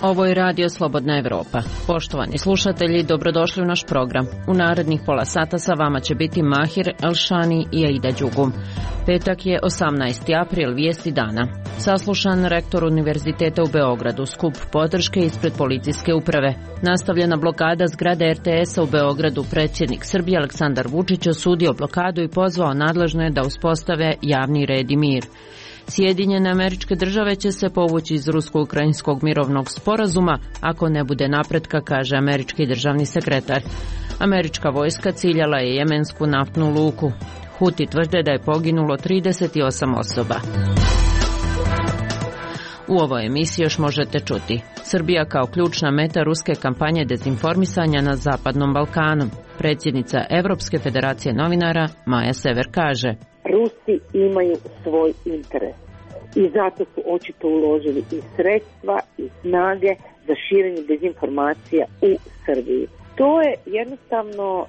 Ovo je Radio Slobodna Evropa. Poštovani slušatelji, dobrodošli u naš program. U narednih pola sata sa vama će biti Mahir Elšani i Aida Đugum. Petak je 18. april, vijesti dana. Saslušan rektor Univerziteta u Beogradu, skup podrške ispred policijske uprave. Nastavljena blokada zgrade RTS-a u Beogradu, predsjednik Srbije Aleksandar Vučić osudio blokadu i pozvao nadležne da uspostave javni red i mir. Sjedinjene Američke Države će se povući iz rusko-ukrajinskog mirovnog sporazuma ako ne bude napretka, kaže američki državni sekretar. Američka vojska ciljala je jemensku naftnu luku. Huti tvrde da je poginulo 38 osoba. U ovoj emisiji još možete čuti: Srbija kao ključna meta ruske kampanje dezinformisanja na Zapadnom Balkanu. Predsjednica Evropske federacije novinara Maja Sever kaže: Rusi imaju svoj interes i zato su očito uložili i sredstva i snage za širenje dezinformacija u Srbiji. To je jednostavno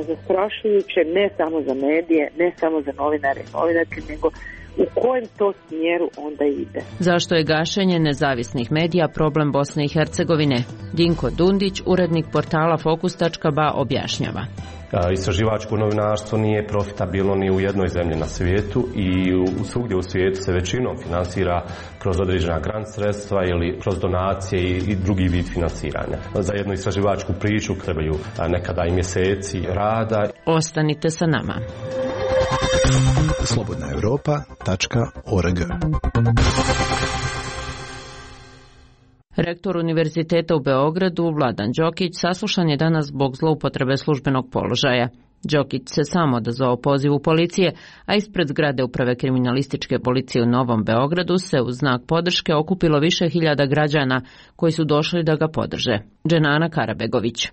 zastrašujuće ne samo za medije, ne samo za novinare i novinarke, nego u kojem to smjeru onda ide. Zašto je gašenje nezavisnih medija problem Bosne i Hercegovine? Dinko Dundić, urednik portala Fokus.ba, objašnjava. Istraživačko novinarstvo nije profitabilno ni u jednoj zemlji na svijetu i svugdje u svijetu se većinom finansira kroz određena grant sredstva ili kroz donacije i drugi vid finansiranja. Za jednu istraživačku priču trebaju nekada i mjeseci rada. Ostanite sa nama. slobodnaevropa.org. Rektor Univerziteta u Beogradu, Vladan Đokić, saslušan je danas zbog zloupotrebe službenog položaja. Đokić se sam odazvao pozivu policije, a ispred zgrade Uprave kriminalističke policije u Novom Beogradu se u znak podrške okupilo više hiljada građana koji su došli da ga podrže. Dženana Karabegović.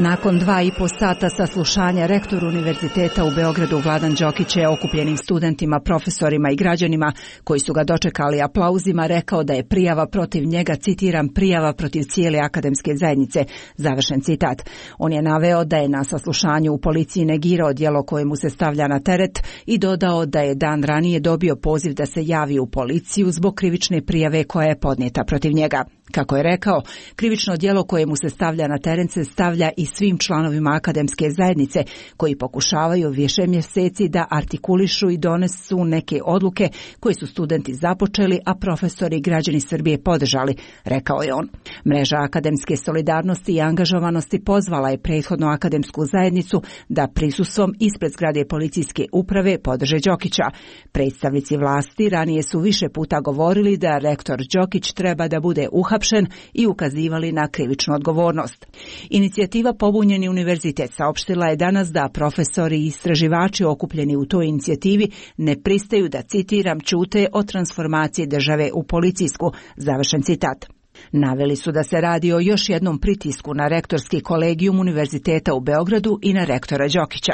Nakon 2,5 sata saslušanja, rektor Univerziteta u Beogradu Vladan Đokić je okupljenim studentima, profesorima i građanima koji su ga dočekali aplauzima rekao da je prijava protiv njega, citiram, prijava protiv cijele akademske zajednice, završen citat. On je naveo da je na saslušanju u policiji negirao djelo koje mu se stavlja na teret i dodao da je dan ranije dobio poziv da se javi u policiju zbog krivične prijave koja je podnijeta protiv njega. Kako je rekao, krivično djelo koje mu se stavlja na teren se stavlja i svim članovima akademske zajednice koji pokušavaju više mjeseci da artikulišu i donesu neke odluke koje su studenti započeli, a profesori i građani Srbije podržali, rekao je on. Mreža akademske solidarnosti i angažovanosti pozvala je prethodno akademsku zajednicu da prisustvom ispred zgrade policijske uprave podrže Đokića. Predstavnici vlasti ranije su više puta govorili da rektor Đokić treba da bude uhapšen i ukazivali na krivičnu odgovornost. Inicijativa Pobunjeni univerzitet saopštila je danas da profesori i istraživači okupljeni u toj inicijativi ne pristaju da, citiram, ćute o transformaciji države u policijsku, završen citat. Naveli su da se radi o još jednom pritisku na rektorski kolegijum Univerziteta u Beogradu i na rektora Đokića.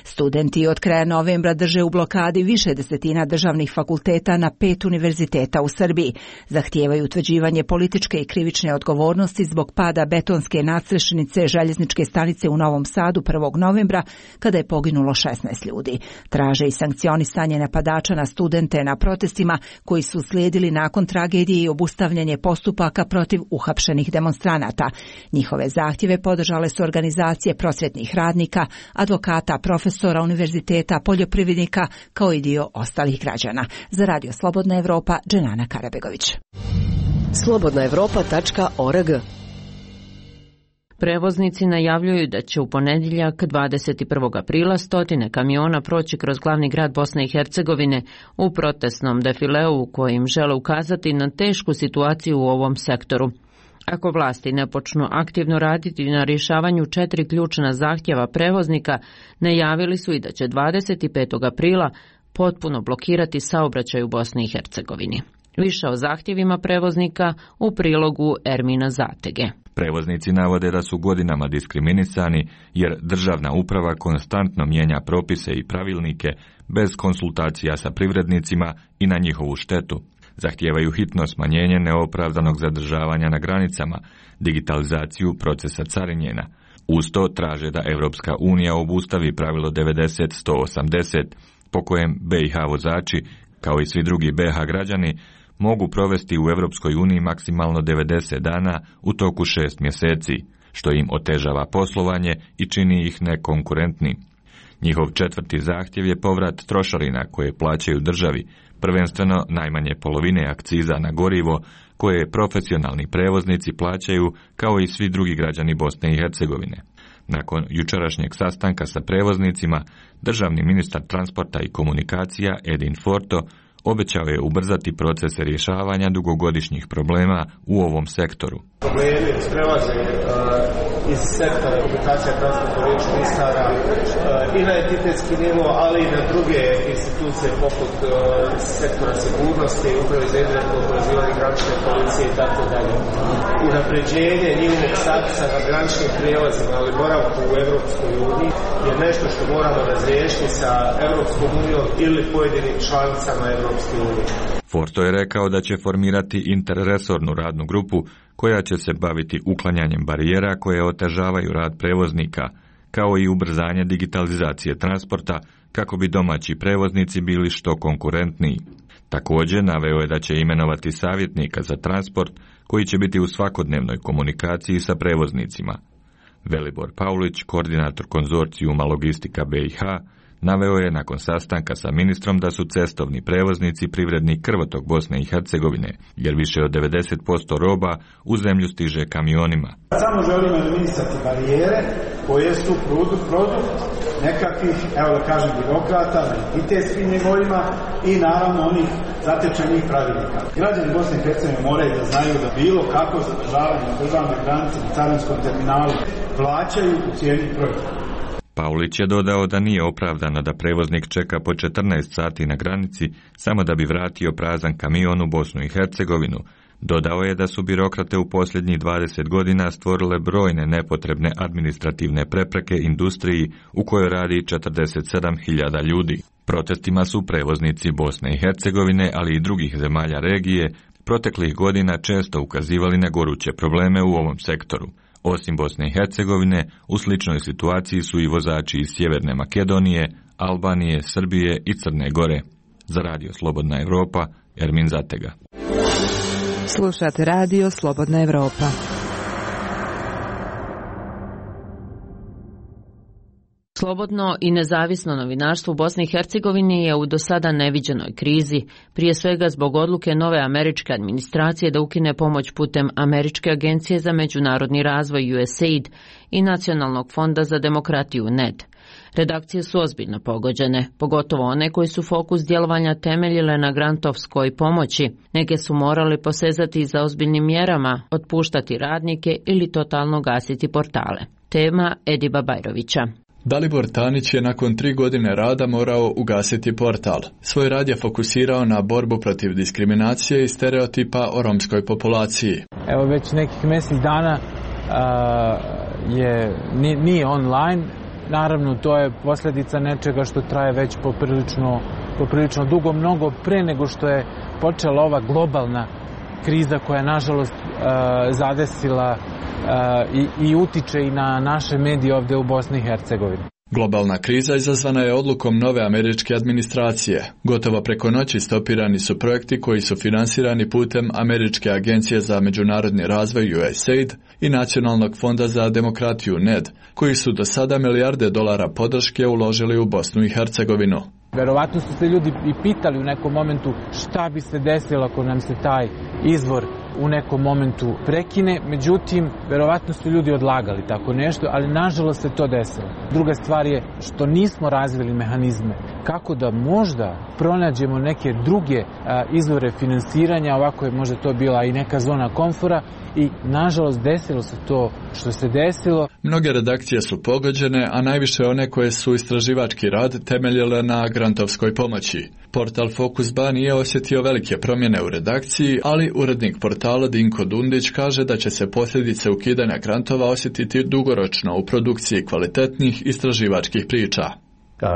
Studenti od kraja novembra drže u blokadi više desetina državnih fakulteta na 5 univerziteta u Srbiji. Zahtijevaju utvrđivanje političke i krivične odgovornosti zbog pada betonske nadstrešnice željezničke stanice u Novom Sadu 1. novembra kada je poginulo 16 ljudi. Traže i sankcionisanje napadača na studente na protestima koji su slijedili nakon tragedije i obustavljanje postupaka protiv uhapšenih demonstranata. Njihove zahtjeve podržale su organizacije prosvjetnih radnika, advokata, profesora univerziteta, poljoprivrednika, kao i dio ostalih građana. Za Radio Slobodna Evropa, Dženana Karabegović. slobodnaevropa.org. Prevoznici najavljuju da će u ponedjeljak 21. aprila stotine kamiona proći kroz glavni grad Bosne i Hercegovine u protestnom defileu u kojim žele ukazati na tešku situaciju u ovom sektoru. Ako vlasti ne počnu aktivno raditi na rješavanju 4 ključna zahtjeva prevoznika, najavili su i da će 25. aprila potpuno blokirati saobraćaj u Bosni i Hercegovini. Više o zahtjevima prevoznika u prilogu Ermina Zatege. Prevoznici navode da su godinama diskriminisani jer državna uprava konstantno mijenja propise i pravilnike bez konsultacija sa privrednicima i na njihovu štetu. Zahtijevaju hitno smanjenje neopravdanog zadržavanja na granicama, digitalizaciju procesa carinjenja, Uz to traže da Europska unija obustavi pravilo 90-180, po kojem BiH vozači, kao i svi drugi BiH građani, mogu provesti u Europskoj uniji maksimalno 90 dana u toku 6 mjeseci, što im otežava poslovanje i čini ih nekonkurentnim. Njihov četvrti zahtjev je povrat trošarina koje plaćaju državi, prvenstveno najmanje polovine akciza na gorivo koje profesionalni prevoznici plaćaju kao i svi drugi građani Bosne i Hercegovine. Nakon jučerašnjeg sastanka sa prevoznicima, državni ministar transporta i komunikacija Edin Forto obećao je ubrzati procese rješavanja dugogodišnjih problema u ovom sektoru. Problemi prelaze iz sektora komunikacija transporta riječnih ministara i na entitetski nivo, ali i na druge institucije poput sektora sigurnosti, uprave za indirektno oporezivanje granične policije i tako dalje. Unapređenje njihovog statusa na graničnim prijelazima, ali boravku u Europskoj uniji je nešto što moramo razriješiti sa Europskom unijom ili pojedinim članicama Europske unije. Forto je rekao da će formirati interresornu radnu grupu koja će se baviti uklanjanjem barijera koje otežavaju rad prevoznika, kao i ubrzanje digitalizacije transporta kako bi domaći prevoznici bili što konkurentniji. Također naveo je da će imenovati savjetnika za transport koji će biti u svakodnevnoj komunikaciji sa prevoznicima. Velibor Paulić, koordinator konzorcijuma Logistika BiH, naveo je nakon sastanka sa ministrom da su cestovni prevoznici privredni krvotok Bosne i Hercegovine, jer više od 90% roba u zemlju stiže kamionima. Samo želimo eliminisati barijere koje su produkt nekakvih, evo da kažem, birokrata na entitetskim nivoima i naravno onih zatečenih pravilnika. Građani Bosne i Hercegovine moraju da znaju da bilo kako zadržavanje na državnoj granici na carinskom terminalu plaćaju u cijeni proizvoda. Paulić je dodao da nije opravdano da prevoznik čeka po 14 sati na granici samo da bi vratio prazan kamion u Bosnu i Hercegovinu. Dodao je da su birokrate u posljednjih 20 godina stvorile brojne nepotrebne administrativne prepreke industriji u kojoj radi 47.000 ljudi. Protestima su prevoznici Bosne i Hercegovine, ali i drugih zemalja regije, proteklih godina često ukazivali na goruće probleme u ovom sektoru. Osim Bosne i Hercegovine, u sličnoj situaciji su i vozači iz Sjeverne Makedonije, Albanije, Srbije i Crne Gore. Za Radio Slobodna Evropa, Ermin Zatega. Slušate Radio Slobodna Evropa. Slobodno i nezavisno novinarstvo u Bosni i Hercegovini je u do sada neviđenoj krizi, prije svega zbog odluke nove američke administracije da ukine pomoć putem Američke agencije za međunarodni razvoj USAID i Nacionalnog fonda za demokratiju NED. Redakcije su ozbiljno pogođene, pogotovo one koji su fokus djelovanja temeljile na grantovskoj pomoći. Neke su morali posezati za ozbiljnim mjerama, otpuštati radnike ili totalno gasiti portale. Tema Ediba Bajrovića. Dalibor Tanić je nakon 3 godine rada morao ugasiti portal. Svoj rad je fokusirao na borbu protiv diskriminacije i stereotipa o romskoj populaciji. Evo već nekih mjesec dana nije online. Naravno, to je posljedica nečega što traje već poprilično dugo, mnogo pre nego što je počela ova globalna kriza koja je nažalost zadesila i utiče i na naše medije ovdje u Bosni i Hercegovini. Globalna kriza izazvana je odlukom nove američke administracije. Gotovo preko noći stopirani su projekti koji su finansirani putem Američke agencije za međunarodni razvoj USAID i Nacionalnog fonda za demokratiju NED, koji su do sada milijarde dolara podrške uložili u Bosnu i Hercegovinu. Verovatno su se ljudi i pitali u nekom momentu šta bi se desilo ako nam se taj izvor u nekom momentu prekine, međutim, verovatno su ljudi odlagali tako nešto, ali nažalost se to desilo. Druga stvar je što nismo razvili mehanizme kako da možda pronađemo neke druge izvore finansiranja, ovako je možda to bila i neka zona komfora i nažalost desilo se to što se desilo. Mnoge redakcije su pogođene, a najviše one koje su istraživački rad temeljile na grantovskoj pomoći. Portal Fokusba nije osjetio velike promjene u redakciji, ali urednik portala Dinko Dundić kaže da će se posljedice ukidanja grantova osjetiti dugoročno u produkciji kvalitetnih istraživačkih priča.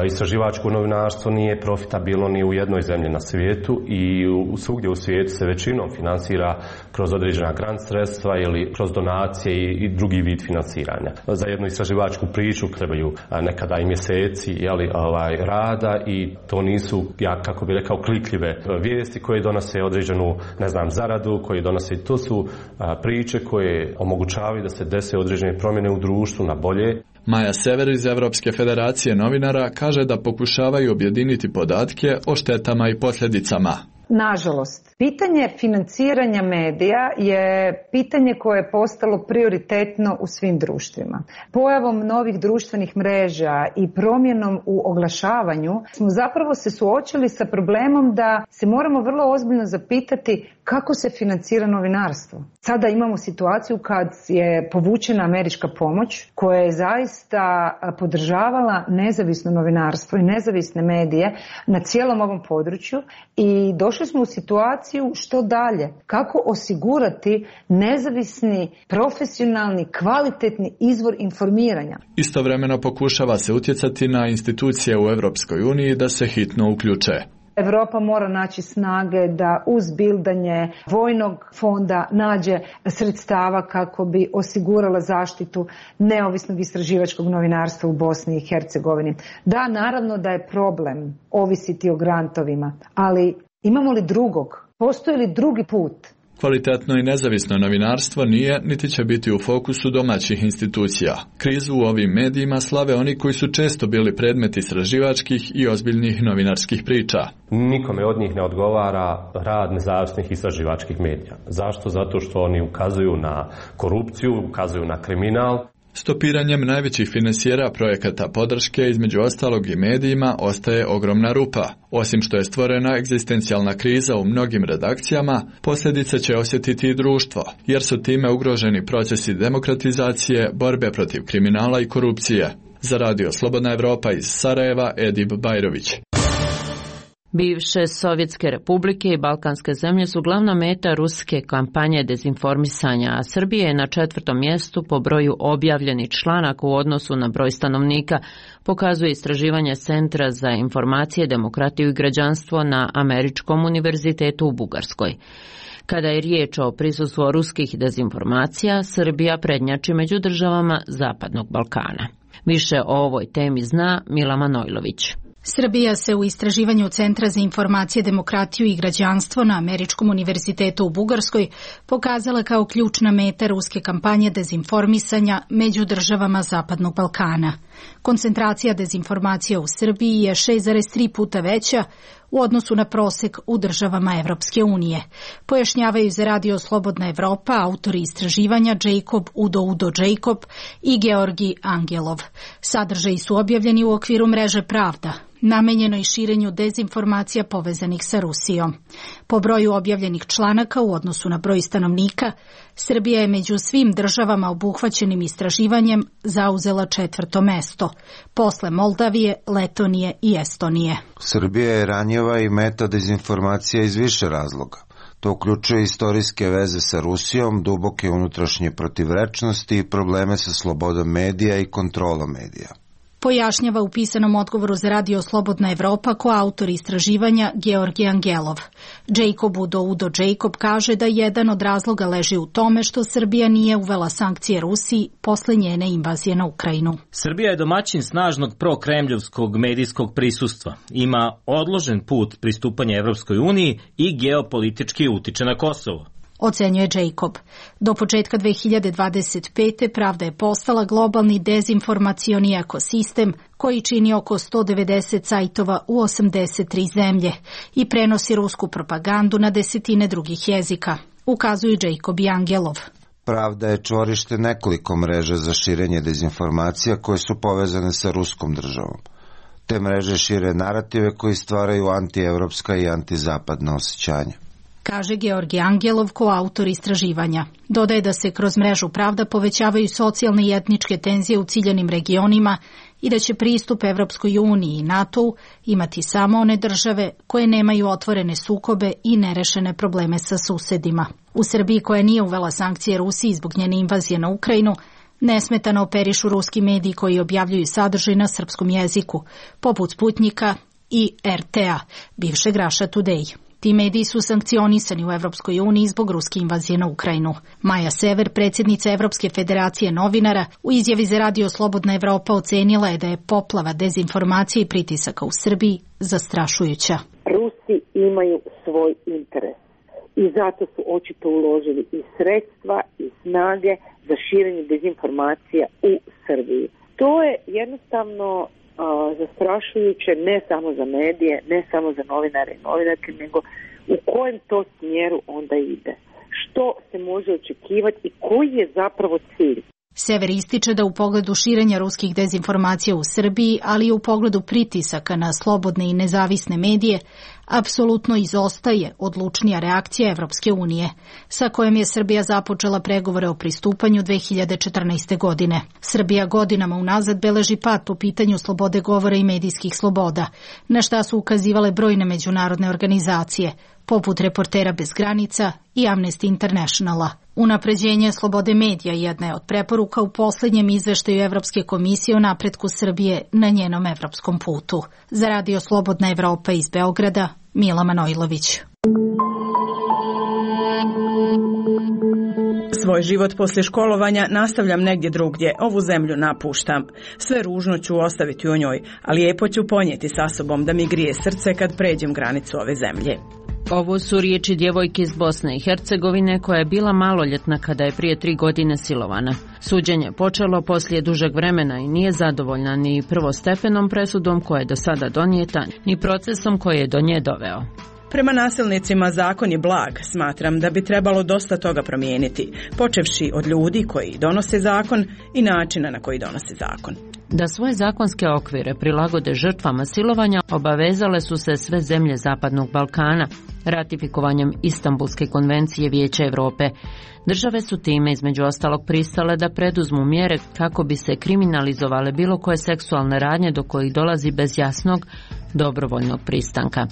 Istraživačko novinarstvo nije profitabilno ni u jednoj zemlji na svijetu i svugdje u svijetu se većinom finansira kroz određena grant sredstva ili kroz donacije i drugi vid finansiranja. Za jednu istraživačku priču trebaju nekada i mjeseci rada i to nisu, kako bi rekao, klikljive vijesti koje donose određenu, zaradu, koje donose, to su priče koje omogućavaju da se dese određene promjene u društvu na bolje. Maja Sever iz Evropske federacije novinara kaže da pokušavaju objediniti podatke o štetama i posljedicama. Nažalost, pitanje financiranja medija je pitanje koje je postalo prioritetno u svim društvima. Pojavom novih društvenih mreža i promjenom u oglašavanju smo zapravo se suočili sa problemom da se moramo vrlo ozbiljno zapitati kako se financira novinarstvo. Sada imamo situaciju kad je povučena američka pomoć koja je zaista podržavala nezavisno novinarstvo i nezavisne medije na cijelom ovom području i došli smo u situaciju što dalje, kako osigurati nezavisni, profesionalni, kvalitetni izvor informiranja. Istovremeno pokušava se utjecati na institucije u Europskoj uniji da se hitno uključe. Europa mora naći snage da uz bildanje vojnog fonda nađe sredstava kako bi osigurala zaštitu neovisnog istraživačkog novinarstva u Bosni i Hercegovini. Da, naravno da je problem ovisiti o grantovima, ali imamo li drugog? Postoji li drugi put? Kvalitetno i nezavisno novinarstvo nije niti će biti u fokusu domaćih institucija. Krizu u ovim medijima slave oni koji su često bili predmet istraživačkih i ozbiljnih novinarskih priča. Nikome od njih ne odgovara rad nezavisnih istraživačkih medija. Zašto? Zato što oni ukazuju na korupciju, ukazuju na kriminal. Stopiranjem najvećih finansijera projekata podrške, između ostalog i medijima, ostaje ogromna rupa. Osim što je stvorena egzistencijalna kriza u mnogim redakcijama, posljedice će osjetiti i društvo, jer su time ugroženi procesi demokratizacije, borbe protiv kriminala i korupcije. Za Radio Slobodna Evropa iz Sarajeva, Edip Bajrović. Bivše Sovjetske republike i balkanske zemlje su glavna meta ruske kampanje dezinformisanja, a Srbija je na 4. mjestu po broju objavljenih članaka u odnosu na broj stanovnika, pokazuje istraživanje Centra za informacije, demokratiju i građanstvo na Američkom univerzitetu u Bugarskoj. Kada je riječ o prisustvu ruskih dezinformacija, Srbija prednjači među državama Zapadnog Balkana. Više o ovoj temi zna Mila Manojlović. Srbija se u istraživanju Centra za informacije, demokratiju i građanstvo na Američkom univerzitetu u Bugarskoj pokazala kao ključna meta ruske kampanje dezinformisanja među državama Zapadnog Balkana. Koncentracija dezinformacija u Srbiji je 6,3 puta veća u odnosu na prosek u državama Evropske unije. Pojašnjavaju za Radio Slobodna Evropa autori istraživanja Jacob Udo Jacob i Georgi Angelov. Sadržaji su objavljeni u okviru mreže Pravda, namenjenoj širenju dezinformacija povezanih sa Rusijom. Po broju objavljenih članaka u odnosu na broj stanovnika, Srbija je među svim državama obuhvaćenim istraživanjem zauzela 4. mesto, posle Moldavije, Letonije i Estonije. Srbija je ranjiva i meta dezinformacija iz više razloga. To uključuje istorijske veze sa Rusijom, duboke unutrašnje protivrečnosti i probleme sa slobodom medija i kontrolom medija. Pojašnjava u pisanom odgovoru za Radio Slobodna Evropa koautor istraživanja Georgi Angelov. Jacob Udo Jacob kaže da jedan od razloga leži u tome što Srbija nije uvela sankcije Rusiji posle njene invazije na Ukrajinu. Srbija je domaćin snažnog prokremljovskog medijskog prisustva. Ima odložen put pristupanja Evropskoj uniji i geopolitički utiče na Kosovo. Ocenjuje Jacob. Do početka 2025. Pravda je postala globalni dezinformacioni ekosistem koji čini oko 190 sajtova u 83 zemlje i prenosi rusku propagandu na desetine drugih jezika, ukazuju Jacob i Angelov. Pravda je čvorište nekoliko mreža za širenje dezinformacija koje su povezane sa ruskom državom. Te mreže šire narative koji stvaraju antievropska i antizapadna osjećanja, kaže Georgi Angelov, koautor istraživanja. Dodaje da se kroz mrežu Pravda povećavaju socijalne i etničke tenzije u ciljanim regionima i da će pristup Evropskoj uniji i NATO-u imati samo one države koje nemaju otvorene sukobe i nerešene probleme sa susedima. U Srbiji, koja nije uvela sankcije Rusiji zbog njene invazije na Ukrajinu, Nesmetano operišu ruski mediji koji objavljuju sadržaj na srpskom jeziku, poput Sputnika i RT-a, bivšeg Russia Today. Ti mediji su sankcionisani u Evropskoj uniji zbog ruske invazije na Ukrajinu. Maja Sever, predsjednica Evropske federacije novinara, u izjavi za Radio Slobodna Evropa ocenila je da je poplava dezinformacije i pritisaka u Srbiji zastrašujuća. Rusi imaju svoj interes i zato su očito uložili i sredstva i snage za širenje dezinformacija u Srbiji. To je jednostavno zastrašujuće ne samo za medije, ne samo za novinare i novinarke, nego u kojem to smjeru onda ide. Što se može očekivati i koji je zapravo cilj? Sever ističe da u pogledu širenja ruskih dezinformacija u Srbiji, ali i u pogledu pritisaka na slobodne i nezavisne medije, apsolutno izostaje odlučnija reakcija Evropske unije, sa kojom je Srbija započela pregovore o pristupanju 2014. godine. Srbija godinama unazad beleži pad po pitanju slobode govora i medijskih sloboda, na šta su ukazivale brojne međunarodne organizacije, poput Reportera bez granica i Amnesty Internationala. Unapređenje slobode medija jedna je od preporuka u posljednjem izveštaju Evropske komisije o napretku Srbije na njenom evropskom putu. Za Radio Slobodna Evropa iz Beograda, Mila Manojlović. Svoj život poslije školovanja nastavljam negdje drugdje, ovu zemlju napuštam. Sve ružno ću ostaviti u njoj, ali lijepo ću ponijeti sa sobom da mi grije srce kad pređem granicu ove zemlje. Ovo su riječi djevojke iz Bosne i Hercegovine koja je bila maloljetna kada je prije 3 godine silovana. Suđenje počelo poslije dužeg vremena i nije zadovoljna ni prvostepenom presudom koja je do sada donijeta, ni procesom koji je do nje doveo. Prema nasilnicima zakon je blag, smatram da bi trebalo dosta toga promijeniti, počevši od ljudi koji donose zakon i načina na koji donose zakon. Da svoje zakonske okvire prilagode žrtvama silovanja obavezale su se sve zemlje Zapadnog Balkana ratifikovanjem Istanbulske konvencije Vijeća Europe. Države su time između ostalog pristale da preduzmu mjere kako bi se kriminalizovale bilo koje seksualne radnje do kojih dolazi bez jasnog dobrovoljnog pristanka.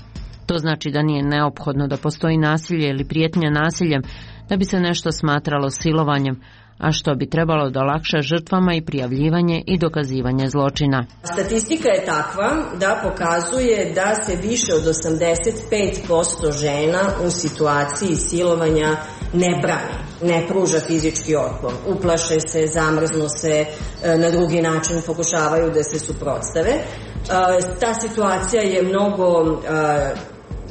To znači da nije neophodno da postoji nasilje ili prijetnja nasiljem da bi se nešto smatralo silovanjem, a što bi trebalo da olakša žrtvama i prijavljivanje i dokazivanje zločina. Statistika je takva da pokazuje da se više od 85% žena u situaciji silovanja ne brani, ne pruža fizički otpor, uplaše se, zamrznu se, na drugi način pokušavaju da se suprotstave. Ta situacija je mnogo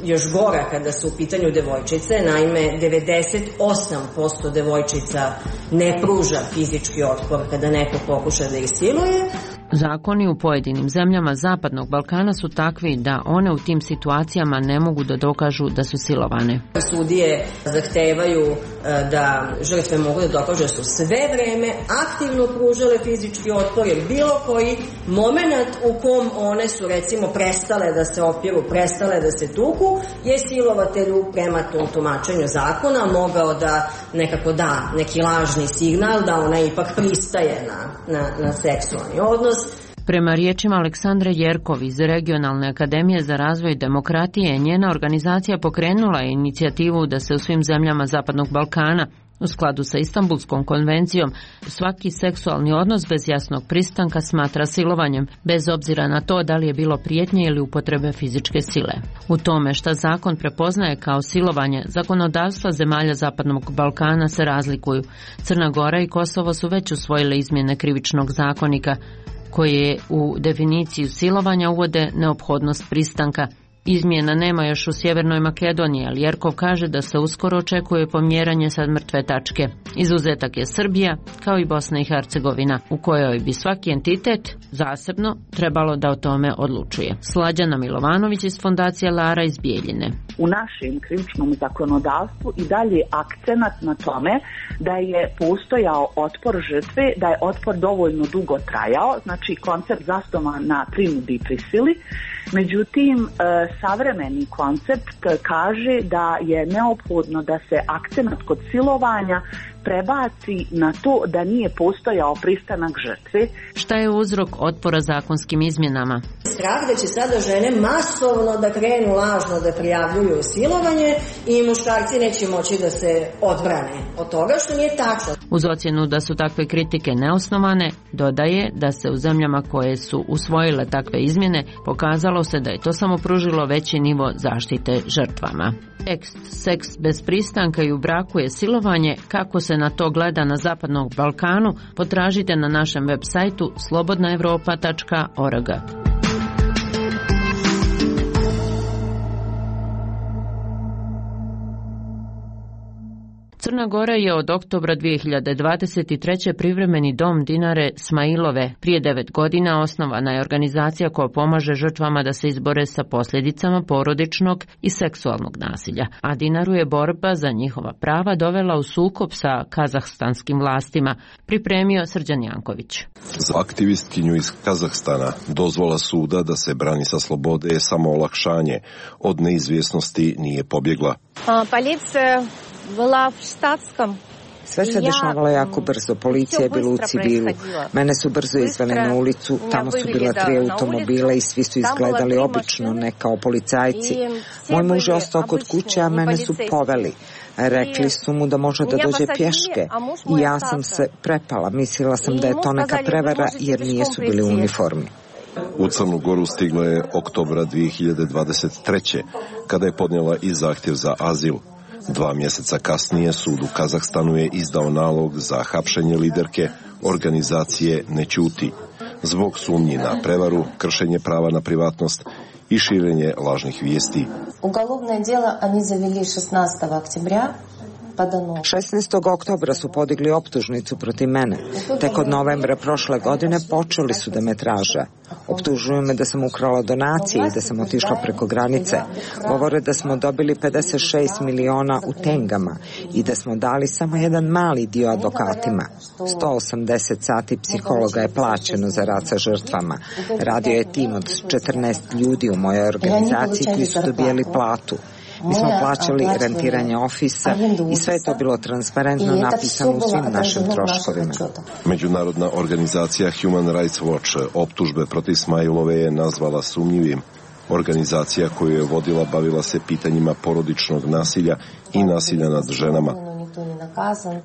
još gora kada su u pitanju devojčice, naime 98% devojčica ne pruža fizički otpor kada neko pokuša da ih siluje. Zakoni u pojedinim zemljama Zapadnog Balkana su takvi da one u tim situacijama ne mogu da dokažu da su silovane. Sudije zahtevaju da žrtve mogu da dokažu da su sve vreme aktivno pružale fizički otpor, jer bilo koji moment u kom one su recimo prestale da se opiru, prestale da se tuku, je silovatelju prema tom tumačenju zakona mogao da nekako da neki lažni signal da ona ipak pristaje na seksualni odnos. Prema riječima Aleksandre Jerkov iz Regionalne akademije za razvoj demokratije, njena organizacija pokrenula je inicijativu da se u svim zemljama Zapadnog Balkana, u skladu sa Istanbulskom konvencijom, svaki seksualni odnos bez jasnog pristanka smatra silovanjem, bez obzira na to da li je bilo prijetnje ili upotrebe fizičke sile. U tome šta zakon prepoznaje kao silovanje, zakonodavstva zemalja Zapadnog Balkana se razlikuju. Crna Gora i Kosovo su već usvojile izmjene krivičnog zakonika, koje u definiciju silovanja uvode neophodnost pristanka. Izmjena nema još u Sjevernoj Makedoniji, ali Jerkov kaže da se uskoro očekuje pomjeranje sa mrtve tačke. Izuzetak je Srbija, kao i Bosna i Hercegovina, u kojoj bi svaki entitet zasebno trebalo da o tome odlučuje. Slađana Milovanović iz Fondacije Lara iz Bijeljine. U našem krivičnom zakonodavstvu i dalje akcenat na tome da je postojao otpor žrtve, da je otpor dovoljno dugo trajao, znači koncept zasnovan na prinudi i prisili. Međutim, savremeni koncept kaže da je neophodno da se akcenat kod silovanja prebaci na to da nije postojao pristanak žrtve. Šta je uzrok otpora zakonskim izmjenama? Strah da će sada žene masovno da krenu lažno da prijavljuju silovanje i muškarci neće moći da se odbrane od toga, što nije tačno. Uz ocjenu da su takve kritike neosnovane, dodaje da se u zemljama koje su usvojile takve izmjene pokazalo se da je to samo pružilo veći nivo zaštite žrtvama. Tekst "Seks bez pristanka i u braku je silovanje", kako se na to gleda na Zapadnom Balkanu, potražite na našem web sajtu slobodnaevropa.org. Crna Gora je od oktobra 2023. privremeni dom Dinare Smajilove. Prije 9 godina osnovana je organizacija koja pomaže žrtvama da se izbore sa posljedicama porodičnog i seksualnog nasilja. A Dinaru je borba za njihova prava dovela u sukob sa kazahstanskim vlastima, pripremio Srđan Janković. Za aktivistkinju iz Kazahstana dozvola suda da se brani sa slobode je samo olakšanje. Od neizvjesnosti nije pobjegla. Policija bila u štatskom. Sve se dešavalo jako brzo, policija je bila u civilu. Mene su brzo izveli na ulicu, tamo su bila 3 automobila i svi su izgledali obično, ne kao policajci. Moj muž je ostao kod kuće, a mene su poveli. Rekli su mu da može da dođe pješke i ja sam se prepala, mislila sam da je to neka prevara jer nisu bili u uniformi. U Crnu Goru stigla je oktobra 2023. kada je podnijela i zahtjev za azil. 2 mjeseca kasnije sud u Kazahstanu je izdao nalog za hapšenje liderke organizacije Ne ćuti zbog sumnji na prevaru, kršenje prava na privatnost i širenje lažnih vijesti. Ugolovno djelo oni zaveli 16. oktobra. 16. oktobra su podigli optužnicu protiv mene. Tek od novembra prošle godine počeli su da me traže. Optužuju me da sam ukrala donacije i da sam otišla preko granice. Govore da smo dobili 56 miliona u tengama i da smo dali samo jedan mali dio advokatima. 180 sati psihologa je plaćeno za rad sa žrtvama. Radio je tim od 14 ljudi u mojoj organizaciji koji su dobijali platu. Mi smo plaćali rentiranje ofisa i sve je to bilo transparentno napisano u svim našim troškovima. Međunarodna organizacija Human Rights Watch optužbe protiv Smajilove je nazvala sumnjivim. Organizacija koju je vodila bavila se pitanjima porodičnog nasilja i nasilja nad ženama.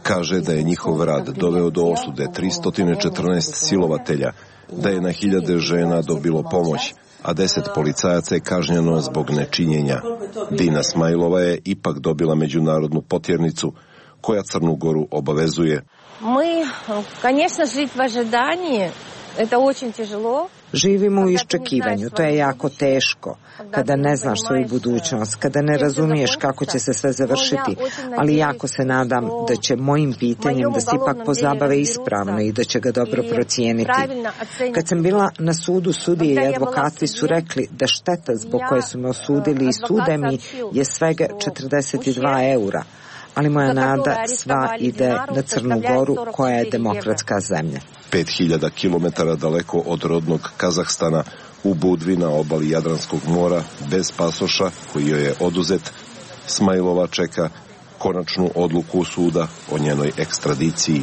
Kaže da je njihov rad doveo do osude 314 silovatelja, da je na hiljade žena dobilo pomoć, a 10 policajaca je kažnjeno zbog nečinjenja. Dina Smajilova je ipak dobila međunarodnu potjernicu koja Crnu Goru obavezuje. Mi, конечно, žiti v ожидании, это очень тяжело. Živimo u iščekivanju, to je jako teško, kada ne znaš svoju budućnost, kada ne razumiješ kako će se sve završiti, ali jako se nadam da će mojim pitanjem da se ipak pozabave ispravno i da će ga dobro procijeniti. Kad sam bila na sudu, sudije i advokati su rekli da šteta zbog koje su me osudili i sude mi je svega 42 eura, ali moja nada sva ide na Crnu Goru koja je demokratska zemlja. 5000 kilometara daleko od rodnog Kazahstana, u Budvi na obali Jadranskog mora, bez pasoša koji joj je oduzet, Smajilova čeka konačnu odluku suda o njenoj ekstradiciji.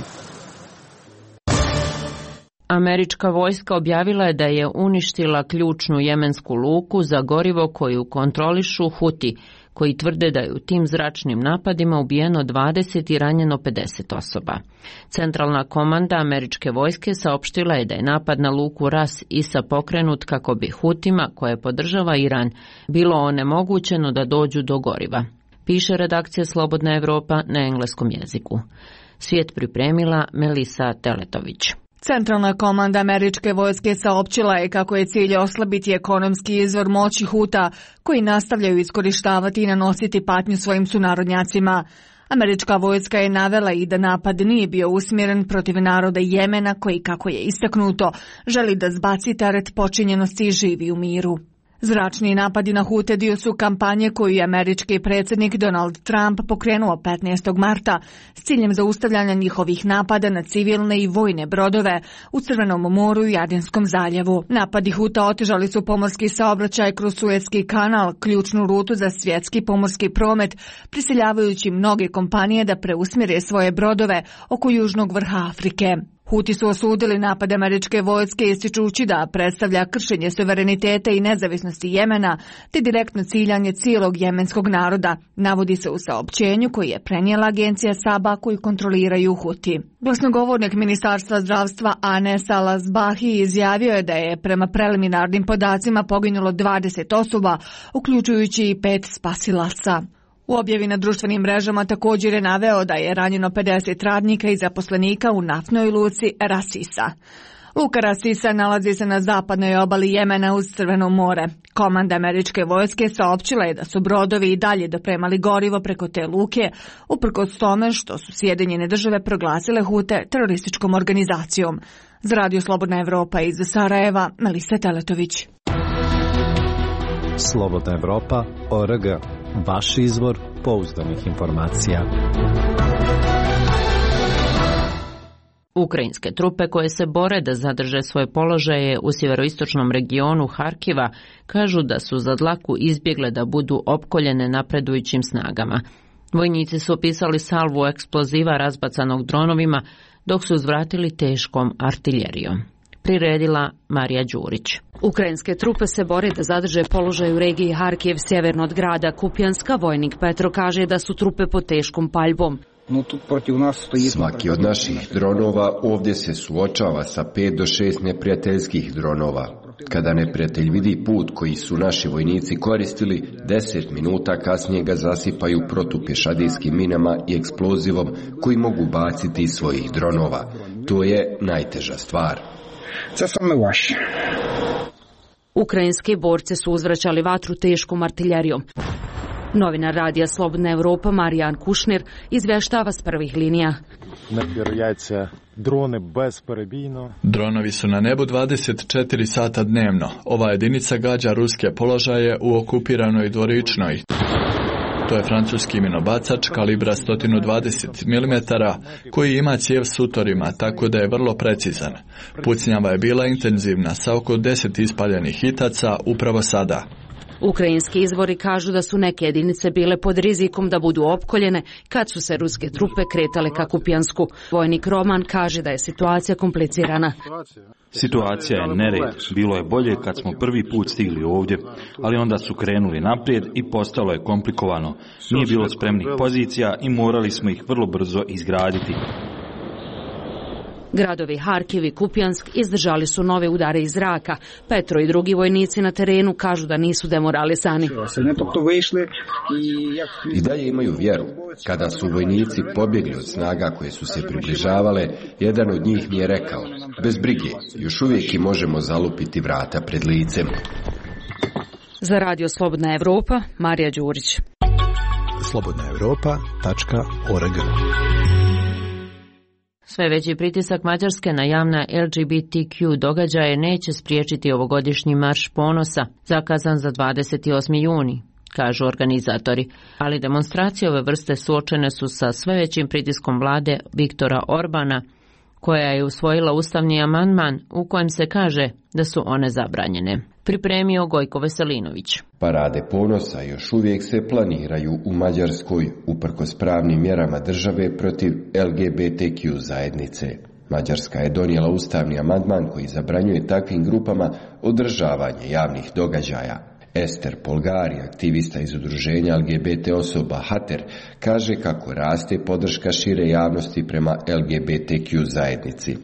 Američka vojska objavila je da je uništila ključnu jemensku luku za gorivo koju kontrolišu Huti, koji tvrde da je u tim zračnim napadima ubijeno 20 i ranjeno 50 osoba. Centralna komanda američke vojske saopštila je da je napad na luku Ras Isa pokrenut kako bi Hutima, koje podržava Iran, bilo onemogućeno da dođu do goriva. Piše redakcija Slobodna Evropa na engleskom jeziku. Svijet pripremila Melisa Teletović. Centralna komanda američke vojske saopćila je kako je cilj oslabiti ekonomski izvor moći Huta, koji nastavljaju iskorištavati i nanositi patnju svojim sunarodnjacima. Američka vojska je navela i da napad nije bio usmjeren protiv naroda Jemena, koji, kako je istaknuto, želi da zbaci teret počinjenosti i živi u miru. Zračni napadi na Hute dio su kampanje koju je američki predsjednik Donald Trump pokrenuo 15. marta s ciljem zaustavljanja njihovih napada na civilne i vojne brodove u Crvenom moru i Adenskom zaljevu. Napadi Huta otežali su pomorski saobraćaj kroz Suetski kanal, ključnu rutu za svjetski pomorski promet, prisiljavajući mnoge kompanije da preusmjere svoje brodove oko južnog vrha Afrike. Huti su osudili napad američke vojske ističući da predstavlja kršenje suvereniteta i nezavisnosti Jemena te direktno ciljanje cijelog jemenskog naroda, navodi se u saopćenju koji je prenijela agencija Saba koju kontroliraju Huti. Glasnogovornik Ministarstva zdravstva Anes Al-Asbahi izjavio je da je prema preliminarnim podacima poginulo 20 osoba, uključujući i 5 spasilaca. U objavi na društvenim mrežama također je naveo da je ranjeno 50 radnika i zaposlenika u naftnoj luci Rasisa. Luka Rasisa nalazi se na zapadnoj obali Jemena uz Crveno more. Komanda američke vojske saopćila je da su brodovi i dalje dopremali gorivo preko te luke, uprkos tome što su Sjedinjene države proglasile Hute terorističkom organizacijom. Za Radio Slobodna Evropa iz Sarajeva, Melisa Teletović. Slobodna Evropa, ORG. Vaš izvor pouzdanih informacija. Ukrajinske trupe koje se bore da zadrže svoje položaje u sjeveroistočnom regionu Harkiva kažu da su za dlaku izbjegle da budu opkoljene napredujućim snagama. Vojnici su opisali salvu eksploziva razbacanog dronovima dok su uzvratili teškom artiljerijom. Priredila Marija Đurić. Ukrajinske trupe se bore da zadrže položaj u regiji Harkiv sjeverno od grada Kupjanska. Vojnik Petro kaže da su trupe pod teškom paljbom. Svaki od naših dronova ovdje se suočava sa 5 do 6 neprijateljskih dronova. Kada neprijatelj vidi put koji su naši vojnici koristili, 10 minuta kasnije ga zasipaju protupješadijskim minama i eksplozivom koji mogu baciti iz svojih dronova. To je najteža stvar. Ukrajinski borci su uzvraćali vatru teškom artiljerijom. Novinar radija Slobodna Evropa Marijan Kušnir izvještava s prvih linija. Dronovi su na nebu 24 sata dnevno. Ova jedinica gađa ruske položaje u okupiranoj Dvoričnoj. To je francuski minobacač kalibra 120 mm koji ima cijev s utorima, tako da je vrlo precizan. Pucnjava je bila intenzivna sa oko 10 ispaljenih hitaca upravo sada. Ukrajinski izvori kažu da su neke jedinice bile pod rizikom da budu opkoljene kad su se ruske trupe kretale ka Kupjansku. Vojnik Roman kaže da je situacija komplicirana. Situacija je nered. Bilo je bolje kad smo prvi put stigli ovdje, ali onda su krenuli naprijed i postalo je komplikovano. Nije bilo spremnih pozicija i morali smo ih vrlo brzo izgraditi. Gradovi Harkiv i Kupjansk izdržali su nove udare iz zraka. Petro i drugi vojnici na terenu kažu da nisu demoralisani. I dalje imaju vjeru. Kada su vojnici pobjegli od snaga koje su se približavale, jedan od njih mi je rekao: bez brige, još uvijek i možemo zalupiti vrata pred licem. Za Radio Slobodna Evropa, Marija Đurić. slobodnaevropa.org. Sve veći pritisak Mađarske na javna LGBTQ događaje neće spriječiti ovogodišnji marš ponosa, zakazan za 28. juni, kažu organizatori. Ali demonstracije ove vrste suočene su sa sve većim pritiskom vlade Viktora Orbana, koja je usvojila ustavni amandman u kojem se kaže da su one zabranjene. Pripremio Gojko Veselinović. Parade ponosa još uvijek se planiraju u Mađarskoj uprkos pravnim mjerama države protiv LGBTQ zajednice. Mađarska je donijela ustavni amandman koji zabranjuje takvim grupama održavanje javnih događaja. Ester Polgari, aktivista iz udruženja LGBT osoba Hater, kaže kako raste podrška šire javnosti prema LGBTQ zajednici.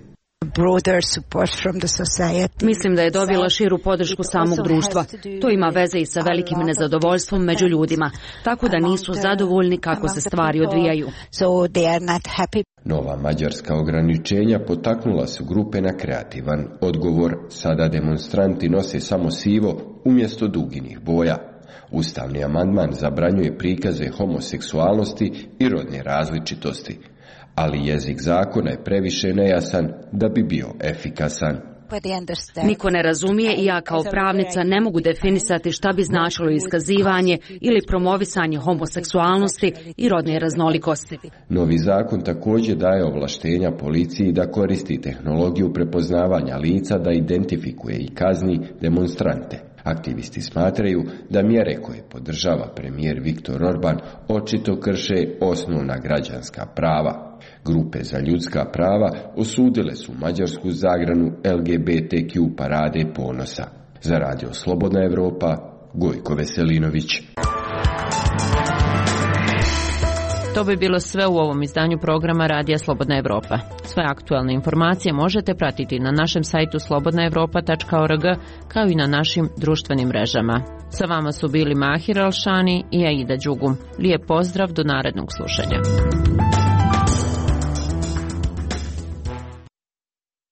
Mislim da je dobila širu podršku samog društva. To ima veze i sa velikim nezadovoljstvom među ljudima, tako da nisu zadovoljni kako se stvari odvijaju. Nova mađarska ograničenja potaknula su grupe na kreativan odgovor. Sada demonstranti nose samo sivo umjesto duginih boja. Ustavni amandman zabranjuje prikaze homoseksualnosti i rodne različitosti, ali jezik zakona je previše nejasan da bi bio efikasan. Niko ne razumije i ja kao pravnica ne mogu definisati šta bi značilo iskazivanje ili promovisanje homoseksualnosti i rodne raznolikosti. Novi zakon također daje ovlaštenja policiji da koristi tehnologiju prepoznavanja lica da identifikuje i kazni demonstrante. Aktivisti smatraju da mjere koje podržava premijer Viktor Orban očito krše osnovna građanska prava. Grupe za ljudska prava osudile su mađarsku zagranu LGBTQ parade ponosa. Za Radio Slobodna Evropa, Gojko Veselinović. To bi bilo sve u ovom izdanju programa Radija Slobodna Evropa. Sve aktualne informacije možete pratiti na našem sajtu slobodnaevropa.org kao i na našim društvenim mrežama. Sa vama su bili Mahir Alšani i Aida Đugum. Lijep pozdrav, do narednog slušanja.